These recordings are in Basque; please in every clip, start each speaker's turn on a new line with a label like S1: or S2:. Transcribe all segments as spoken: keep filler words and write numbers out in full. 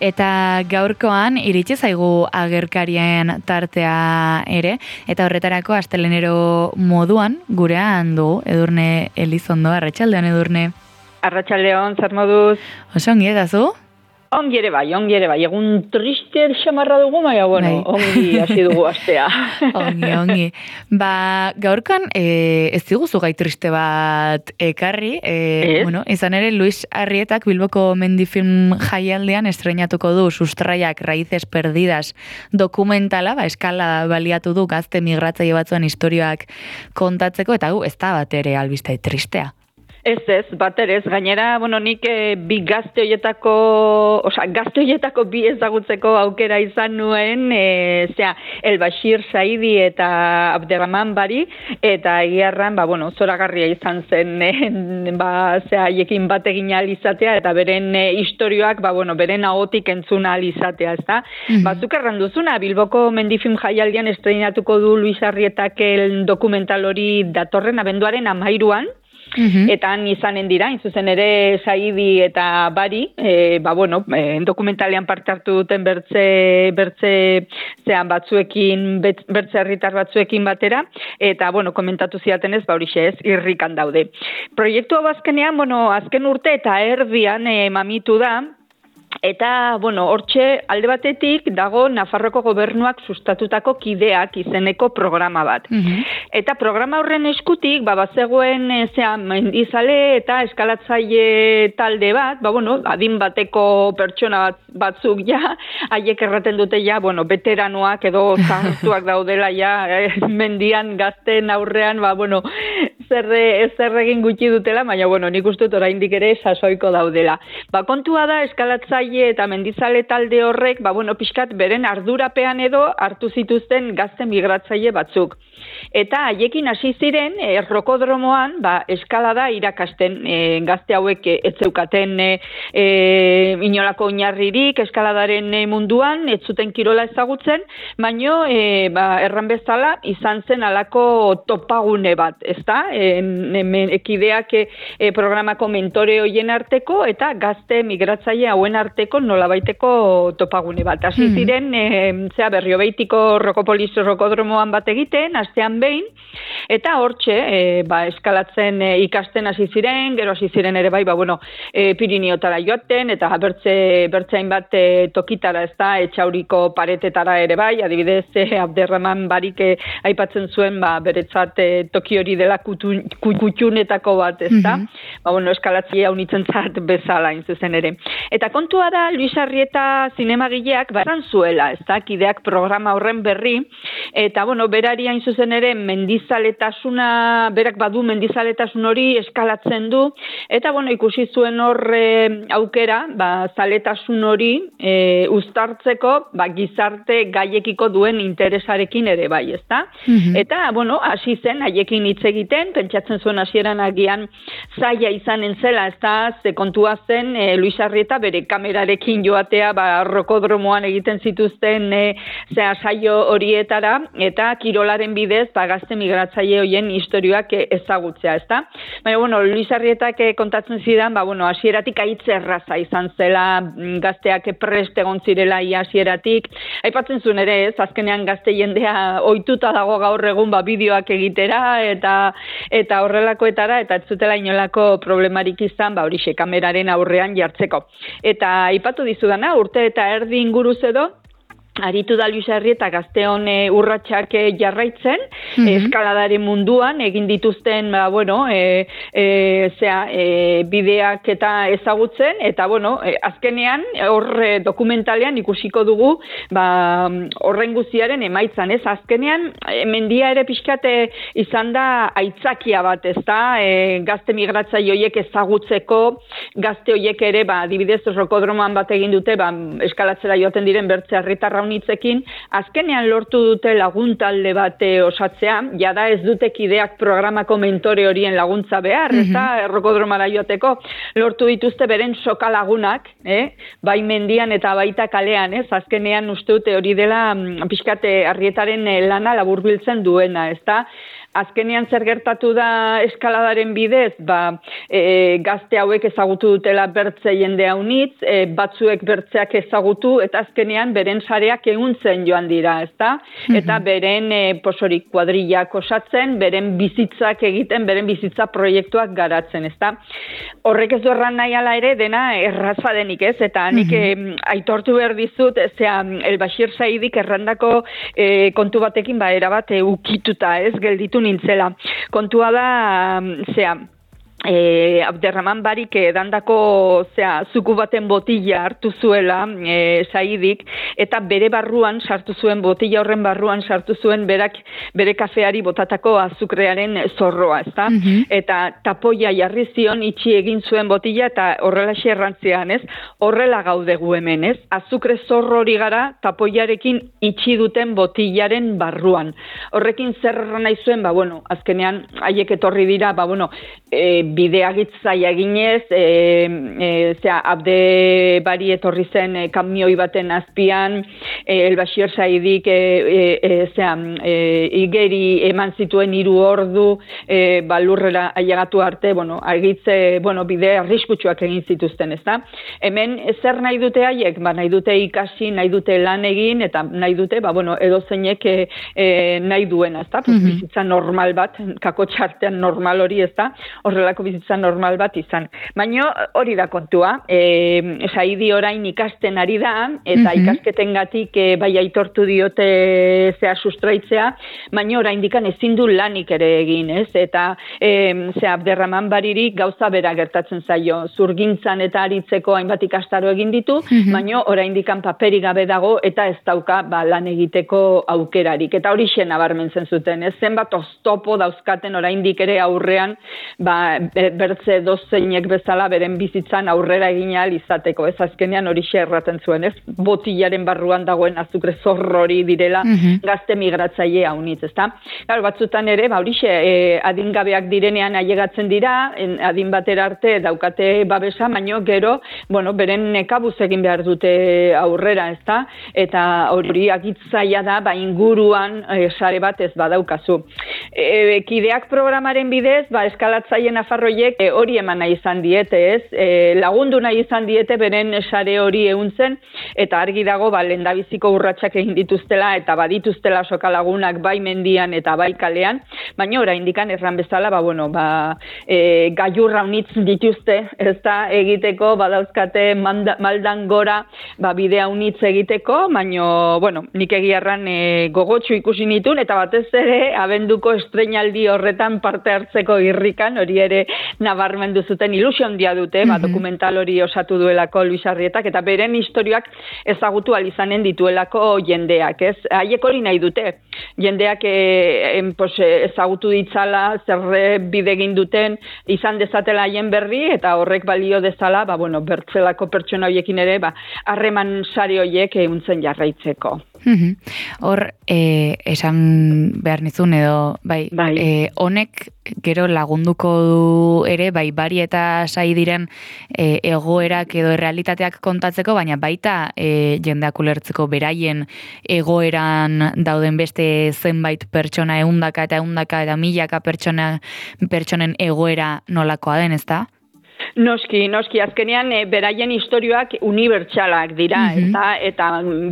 S1: Eta gaurkoan iritsi zaigu agerkarien tartea ere, eta horretarako astelenero moduan gurean du Edurne Elizondo. Arratsaldeon, Edurne.
S2: Arratsaldeon, zer moduz?
S1: Oso ongi edazu?
S2: Ongi ere bai, ongi ere bai. Egun triste xamarra dugu, baina, bueno, bai. Ongi hasi dugu astea.
S1: ongi, ongi. Ba, gaurkan e, ez diguzu gai triste bat ekarri. E, bueno, izan ere, Luis Arrietak Bilboko Mendifilm jaialdean estreinatuko du Sustraiak Raíces Perdidas dokumentala, ba, eskala baliatu du gazte migratzaile batzuen istorioak kontatzeko, eta gu, ez da bat ere albiste tristea.
S2: Ez ez, bat ere ez, gainera, bueno, nik e, bi gazte hoietako, osea, gazte hoietako bi ezagutzeko aukera izan nuen, e, zera, El Bashir Saidi eta Abderrahman Bari, eta egiarran, ba, bueno, zoragarria izan zen, e, ba, zera, haiekin bat egin ahal izatea, eta beren e, istorioak, ba, bueno, beren ahotik entzun ahal izatea, ez da? Mm-hmm. Batzuk erranduzuna, Bilboko Mendifilm jaialdian estreinatuko du Luis Arrietak el dokumental hori datorren abenduaren amairuan, Uhum. Eta han izanen dira, inzuzen ere Saidi eta Bari, e, ba bueno, e, dokumentalean parte hartu duten bertze, bertze zean batzuekin, bertze herritar batzuekin batera, eta bueno, komentatu ziatenez, ba horixe ez, irrikan daude. Proiektu hau azkenean, bueno, azken urte eta erdian e, mamitu da, eta, bueno, hortxe alde batetik dago Nafarroko gobernuak sustatutako kideak izeneko programa bat. Mm-hmm. Eta programa horren eskutik, ba, bazegoen zean mendizale eta eskalatzaile talde bat, ba, bueno, adin bateko pertsona bat, batzuk ja, haiek erraten dute ja, bueno, veteranoak edo zahartuak daudela ja, eh, mendian gazten aurrean, ba, bueno, zer, zer egin gutxi dutela, baina, bueno, nik uste dut oraindik ere sasoiko daudela. Ba, kontua da eskalatzaile eta mendizale talde horrek, ba, bueno, pixkat beren ardurapean edo hartu zituzten gazte migratzaile batzuk. Eta haiekin hasi ziren, e, rokodromoan, ba, eskalada irakasten, e, gazte hauek ez zeukaten e, e, inolako oinarririk eskaladaren munduan, ez zuten kirola ezagutzen, baino, e, ba, erran bezala, izan zen alako topagune bat, ezta? E, ekideak e, programako mentore hoien arteko, eta gazte migratzaile hauen arteko nolabaiteko topagune bat. Hasi ziren, e, zera berriobeitiko Rokopolis rokodromoan bat egiten, astean behin, eta hortxe, e, ba, eskalatzen e, ikasten hasi ziren, gero hasi ziren ere bai, ba, bueno, e, Pirineotara joaten, eta bertze, bertzein bat e, tokitara, ez da, etxauriko paretetara ere bai, adibidez, e, Abderrahman Barik e, aipatzen zuen, ba, beretzat e, toki hori dela kutun, kutxunetako bat, ez da, mm-hmm. ba, bueno, eskalatzea unitzen zat bezala, inzuzen ere. Eta kontua da, Luis Arrieta zinemagileak baran zuela, ez da, kideak programa horren berri, eta, bueno, berari hain zuzen ere mendizaletasuna, berak badu mendizaletasun hori eskalatzen du, eta, bueno, ikusi zuen hor e, aukera, ba, zaletasun hori e, uztartzeko, ba, gizarte gaiekiko duen interesarekin ere bai, ez da? Mm-hmm. Eta, bueno, hasi zen, haiekin hitz egiten, pentsatzen zuen hasieran agian zaila izanen zela, ez da, ze kontua zen, e, Luis Arrieta bere kamerarekin joatea, ba, rokodromoan egiten zituzten e, zea saio horietara, eta kirolaren bidez, ba, gazte migratzaile hoien historioak ezagutzea, ezta? Baina, bueno, Luis Arrietak kontatzen zidan, ba, bueno, hasieratik aitz erraza izan zela, gazteak prest egon zirela ia hasieratik. Aipatzen zuen ere, ez, azkenean gazte jendea ohituta dago gaur egun, ba, bideoak egitera, eta eta horrelakoetara, eta ez zutela inolako problemarik izan, ba, horixe, kameraren aurrean jartzeko. Eta aipatu dizudana, urte eta erdi inguruz edo, aritu da Luis Arrieta gazteon e, urratsak e, jarraitzen, mm-hmm. eskaladaren munduan, egin dituzten, ba, bueno, e, e, zera, e, bideak eta ezagutzen, eta, bueno, e, azkenean, hor e, dokumentalean ikusiko dugu, ba, horren guztiaren emaitzan, ez? Azkenean, e, mendia ere pixkate izan da aitzakia bat, ez da? E, gazte migratzaile horiek ezagutzeko, gazte horiek ere, ba, adibidez, rokodroman bat egin dute, ba, eskalatzera joaten diren bertze herritarra hitzekin, azkenean lortu dute laguntalde bat osatzea, jada ez dute kideak programako mentore horien laguntza behar, mm-hmm. eta errokodromara joateko, lortu dituzte beren soka lagunak, eh? Bai mendian eta baita kalean, ez? Azkenean uste dute hori dela pixkate Arrietaren lana laburbiltzen duena, ez da? azkenean zer gertatu da eskaladaren bidez, ba, e, gazte hauek ezagutu dutela bertze jende haunitz, e, batzuek bertzeak ezagutu, eta azkenean beren sareak ehuntzen joan dira, ezta? Eta beren e, posorik kuadrillak osatzen, beren bizitzak egiten, beren bizitza proiektuak garatzen, ezta? Horrek ez du erran nahi ala ere, dena erraza denik, ez? Eta nik mm-hmm. e, aitortu behar dizut, zea, El Bashir Saidik errandako e, kontu batekin, ba, erabat e, ukituta, ez? Gelditu nintzela. Kontua da, zea, E, Abderraman Barik edandako zea, zuku baten botila hartu zuela e, Saidik, eta bere barruan sartu zuen, botila horren barruan sartu zuen berak bere kafeari botatako azukrearen zorroa, ezta? Mm-hmm. Eta tapoia jarri zion, itxi egin zuen botila, eta horrela xerrantzean, ez? Horrela gaude gu hemen, ez? Azukre zorro hori gara tapoiarekin itxi duten botilaren barruan. Horrekin zer nahi zuen, ba, bueno, azkenean haiek etorri dira, ba, bueno, e, bideagitzaia eginez, e, e, zera, Abde Bari etorri zen e, kamioi baten azpian, e, El Bashir Saidik e, e, zera, e, igeri eman zituen hiru ordu, e, balurrera ailegatu arte, bueno, argitze, bueno, bide arriskutsuak egin zituzten, ezta? Hemen zer nahi dute haiek? Ba, nahi dute ikasi, nahi dute lan egin, eta nahi dute, ba, bueno, edozeinek e, e, nahi duena, ezta? Pues, mm-hmm. Bizitza normal bat, kakotxartean normal hori, ezta? Horrelako bizitza normal bat izan. Baina hori da kontua. E, Saidi orain ikasten ari da, eta mm-hmm. ikasketengatik e, bai aitortu diote zea sustraitzea, baina orain dikan ezin du lanik ere egin, ez? Eta e, zea Abderraman Bariri gauza bera gertatzen zaio. Zurgintzan eta aritzeko hainbat ikastaro egin ditu, mm-hmm. baina orain dikan paperi gabe dago, eta ez dauka ba, lan egiteko aukerarik. Eta hori xena barmentzen zuten, ez? Zenbat oztopo dauzkaten oraindik ere aurrean, ba, bertze dozeinek bezala beren bizitzan aurrera egin ahal izateko, ez? Azkenean hori erraten zuen, ez? Botilaren barruan dagoen azukre zorro hori direla mm-hmm. gazte migratzaile haunitz, ezta? Claro, batzutan ere, ba hori e, adingabeak direnean ailegatzen dira, en, adin batera arte daukate babesa, baino gero, bueno, beren nekabuz egin behar dute aurrera, ezta? Eta hori agitzaia da, ba inguruan e, sare bat ez badaukazu. E, kideak programaren bidez, ba eskalatzaile nafarroiek e, hori eman nahi izan diete, ez? E, lagundu nahi izan diete beren sare hori ehuntzen, eta argi dago ba lehendabiziko urratsak egin dituztela eta badituztela soka lagunak bai mendian eta bai kalean, baina oraindikan erran bezala, ba bueno, ba e, gailurra unitz dituzte, ezta egiteko badauzkate manda, maldan gora, ba bidea unitz egiteko, baina bueno, nik egiarran e, gogotsu ikusi nitun eta batez ere abenduko estreinaldi horretan parte hartzeko irrikan, hori ere nabarmendu zuten ilusio handia dute, ba, dokumental hori osatu duelako Luis Arrietak, eta beren historiak ezagutu alizanen dituelako jendeak, ez? Haiek hori nahi dute. Jendeak e, en, pues, ezagutu ditzala, zer bide egin duten, izan dezatela haien berri, eta horrek balio dezala, ba, bueno, bertzelako pertsona horiekin ere, ba, harreman sare horiek ehuntzen jarraitzeko.
S1: Hor, eh, esan behar nizun edo, bai, bai. Eh, honek gero lagunduko du ere, bai, Bari eta Saidiren eh, egoerak edo realitateak kontatzeko, baina baita eh, jendeak ulertzeko beraien egoeran dauden beste zenbait pertsona ehundaka eta ehundaka eta milaka pertsona, pertsonen egoera nolakoa den, ezta?
S2: Noski, noski, azkenean e, beraien istorioak unibertsalak dira, mm-hmm. eta, eta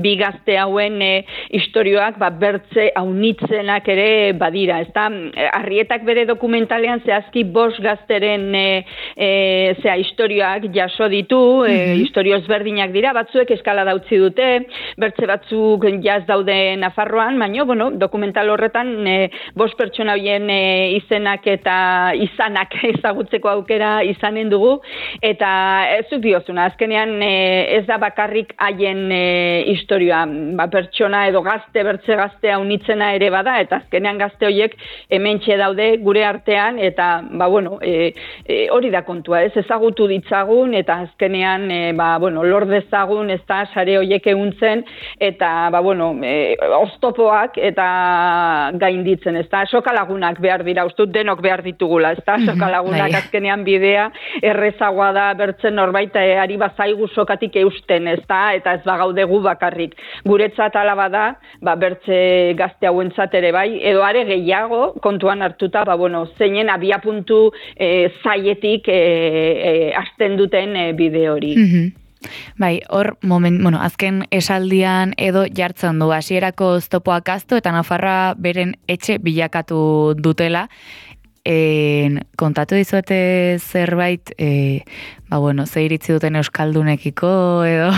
S2: bi gazte hauen e, istorioak ba, bertze haunitzenak ere badira, ezta? Arrietak bere dokumentalean zehazki bost gazteren e, e, zea istorioak jaso ditu, mm-hmm. e, istorio ezberdinak dira, batzuek eskala dautzi dute, bertze batzuk jaz daude Nafarroan, baina, bueno, dokumental horretan e, bost pertsona horien e, izenak eta izanak ezagutzeko aukera izanen dugu, eta ez dut diozuna, azkenean e, ez da bakarrik haien e, historioa, ba, pertsona edo gazte, bertze gaztea unitzena ere bada, eta azkenean gazte horiek hementxe daude gure artean, eta ba, bueno, e, e, hori da kontua, ez ezagutu ditzagun, eta azkenean e, ba, bueno, lor dezagun, ez da sare horiek ehuntzen, eta ba, bueno, e, oztopoak eta gainditzen, ez da, soka lagunak behar dira, ustut denok behar ditugula, ez da, soka lagunak azkenean bidea errezagoa da bertzen norbait ari bazaigu sokatik eusten, ez da, eta ez bagaudegu bakarrik. Guretzat ala bada, ba, bertze gazte hauentzat ere bai, edo are gehiago kontuan hartuta, ba, bueno, zeinen abiapuntu e, zaietik e, e, hasten duten e, bide hori.
S1: Mm-hmm. Bai, hor, moment, bueno, azken esaldian edo jartzen du, hasierako oztopoak aztu eta Nafarra beren etxe bilakatu dutela. En, kontatu dizuete zerbait, e, ba, bueno, ze iritzi duten euskaldunekiko edo...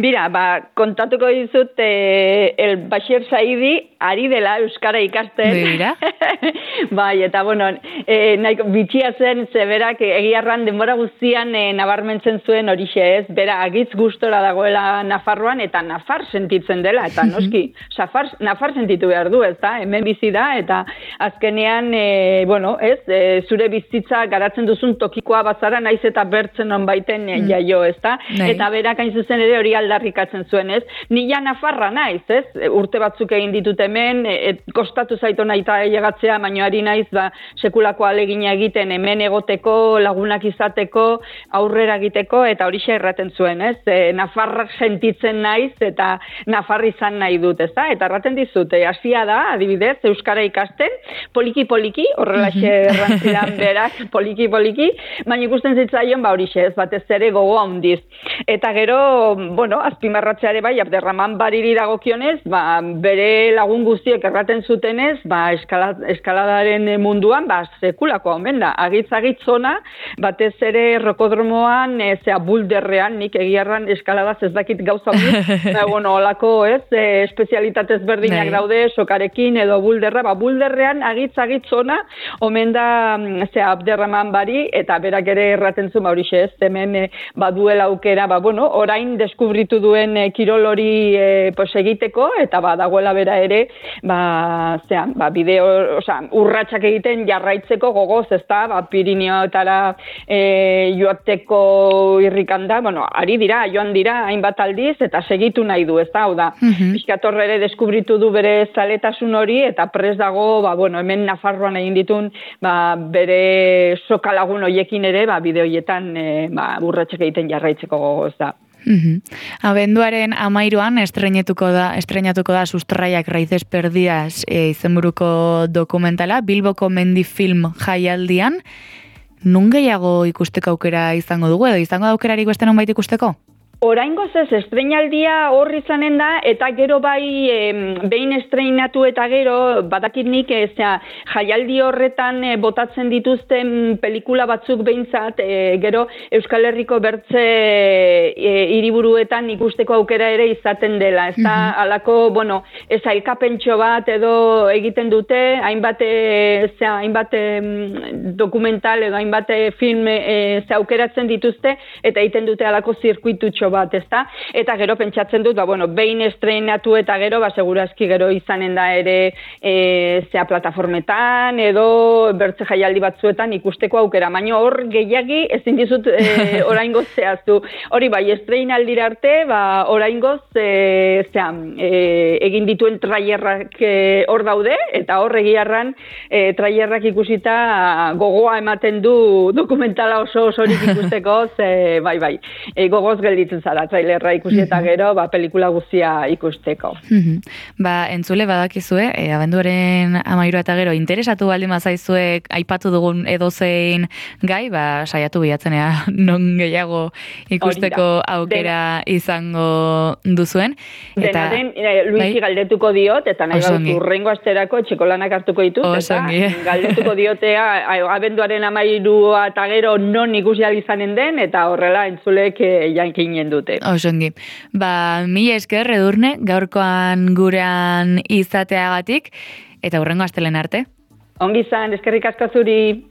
S2: Bira, ba, kontatuko dizut eh, el Bashir Saidi ari dela euskara ikasten.
S1: Bira?
S2: Bai, eta bueno, eh, nahi, bitxia zen, zeberak egiarran denbora guztian eh, nabarmentzen zuen horixe ez, bera agitz gustora dagoela Nafarroan eta Nafar sentitzen dela, eta noski, Safar, Nafar sentitu behar du, ez da, hemen bizi da, eta azkenean, eh, bueno, ez, eh, zure bizitza garatzen duzun tokikoa bazara, naiz eta bertzen on baiten eh, jaio, ez da, eta berak hain zuzen ere hori aldarrikatzen zuen, ez? Ni ja Nafarra naiz, ez? Urte batzuk egin ditut hemen, et, kostatu zaito naita llegatzea, baino ari naiz, ba, sekulako alegina egiten hemen egoteko, lagunak izateko, aurrera egiteko, eta horixe erraten zuen, ez? E, Nafarra sentitzen naiz, eta Nafarra izan nahi dut, ez da? Eta erraten dizut, e, hasia da, adibidez, euskara ikasten, poliki-poliki, horrelaxe errantzidan berak, poliki-poliki, baina ikusten zitzaion, ba, horixe, ez? Batez ere gogo handiz. Eta gero, bueno, azpimarratzeare bai, Abderraman Bariri dagokionez, ba, bere lagun guztiek erraten zutenez, ba, eskala, eskaladaren munduan, ba, sekulako omen da. Agitz-agitz zona, batez ere rokodromoan, e, zea bulderrean, nik egiarran eskaladaz ez dakit gauza hori, ba, bueno, olako, ez, e, espezialitatez berdinak daude, sokarekin edo bulderra, ba, bulderrean agitz-agitz zona, omen da, zea, Abderraman Bari, eta berak ere erraten zuen, ba, horixe ez, hemen e, baduela aukera, ba, bueno, orain deskubritu duen e, kirol hori e, pues, egiteko, eta ba, dagoela bera ere, ba, zean, ba, bideo, oza, urratsak egiten jarraitzeko gogoz, ez da, ba, Pirineoetara e, joateko irrikanda, bueno, ari dira, joan dira, hainbat aldiz, eta segitu nahi du, ez da, hau da, mm-hmm. Pixkator ere deskubritu du bere zaletasun hori, eta pres dago, ba, bueno, hemen Nafarroan egin ditun, ba, bere sokalagun hoiekin ere, ba, bideoietan, e, ba, urratsak egiten jarraitzeko gogoz da.
S1: Mm-hmm. Abenduaren amairuan estrenatuko da, estrenatuko da Sustraiak Raíces Perdidas e, izenburuko dokumentala, Bilboko Mendi Film jaialdian. Nun gehiago ikusteko aukera izango dugu, edo izango da aukerarik beste nonbait ikusteko?
S2: Oraingoz ez, estreinaldia hor izanen da, eta gero bai e, behin estreinatu eta gero, badakit nik, ez, jaialdi horretan e, botatzen dituzten pelikula batzuk behintzat, e, gero Euskal Herriko bertze e, hiriburuetan ikusteko aukera ere izaten dela. Ez da, mm-hmm. alako, bueno, ez ailkapentxo bat edo egiten dute, hainbat, e, zera, hainbat e, dokumental edo hainbat film e, ze aukeratzen dituzte, eta egiten dute alako zirkuitutxo bat, ezta? Eta gero pentsatzen dut, ba, bueno, behin estreinatu eta gero, ba, segurazki gero izanen da ere e, zea plataformetan edo bertze jaialdi batzuetan ikusteko aukera. Baina hor gehiagi ezin dizut e, oraingoz zehaztu. Hori bai, estreinaldira arte, ba, oraingoz e, zea, e, egin dituen trailerrak e, hor daude, eta hor egiarran e, trailerrak ikusita gogoa ematen du dokumentala oso osorik ikusteko, ze, bai, bai, e, gogoz gelditzen zara trailerra ikusi eta gero, ba, pelikula guztia ikusteko.
S1: Ba, entzule badakizue, e, abenduaren amairu eta gero, interesatu baldin bazaizue aipatu dugun edozein gai, ba, saiatu bilatzenea non gehiago ikusteko aukera Den, izango duzuen. Eta,
S2: den, e, Luisi bai? galdetuko diot, eta nahi gaut urrengo asterako txekolanak hartuko ditut, eta galdetuko diotea abenduaren amairu eta gero non ikusi izanen den, eta horrela entzulek e, jankinen dute.
S1: Osongi. Ba, mila esker, Edurne, gaurkoan gurean izateagatik, eta hurrengo astelen arte.
S2: Ongi izan, eskerrik asko zuri.